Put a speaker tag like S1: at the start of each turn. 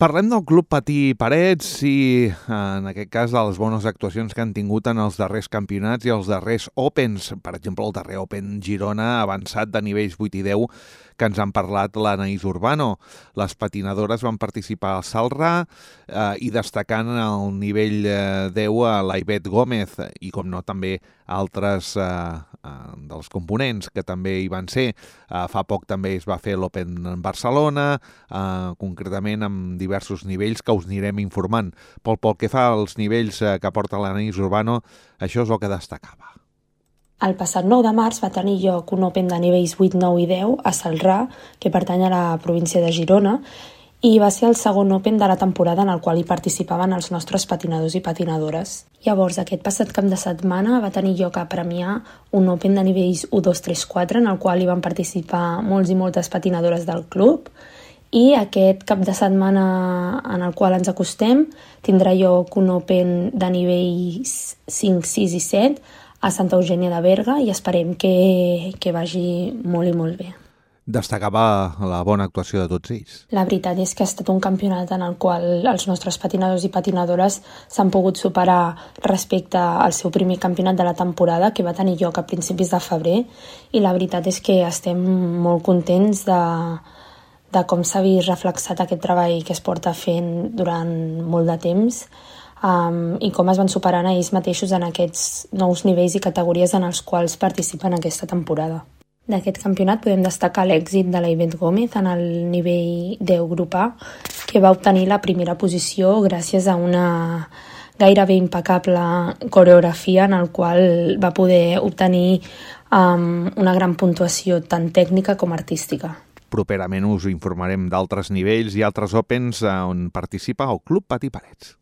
S1: Parlem del Club Patí Parets i, en aquest cas, de les bones actuacions que han tingut en els darrers campionats i els darrers Opens. Per exemple, el darrer Open Girona ha avançat de nivells 8 i 10 que ens han parlat l'Anaïs Urbano. Les patinadores van participar al Salrà i destacant el nivell 10 a l'Aivet Gómez i, com no, també altres dels components que també hi van ser. Fa poc també es va fer l'Open en Barcelona, concretament amb diversos nivells que us anirem informant. Pel que fa als nivells que porta l'Anaïs Urbano, això és el que destacava.
S2: El passat 9 de març va tenir lloc un Open de nivells 8, 9 i 10 a Salrà, que pertany a la província de Girona, i va ser el segon Open de la temporada en el qual hi participaven els nostres patinadors i patinadores. Llavors, aquest passat cap de setmana va tenir lloc a Premià un Open de nivells 1, 2, 3, 4, en el qual hi van participar molts i moltes patinadores del club, i aquest cap de setmana en el qual ens acostem tindrà lloc un Open de nivells 5, 6 i 7 a Santa Eugènia de Berga i esperem que vagi molt i molt bé.
S1: Destacava la bona actuació de tots ells.
S2: La veritat és que ha estat un campionat en el qual els nostres patinadors i patinadores s'han pogut superar respecte al seu primer campionat de la temporada, que va tenir lloc a principis de febrer, i la veritat és que estem molt contents de com s'ha vist reflexat aquest treball que es porta fent durant molt de temps i com es van superant a ells mateixos en aquests nous nivells i categories en els quals participen aquesta temporada. D'aquest campionat podem destacar l'èxit de l'Aivet Gómez en el nivell 10 grup A, que va obtenir la primera posició gràcies a una gairebé impecable coreografia en el qual va poder obtenir una gran puntuació tant tècnica com artística.
S1: Properament us informarem d'altres nivells i altres Opens on participa el Club Patí Parets.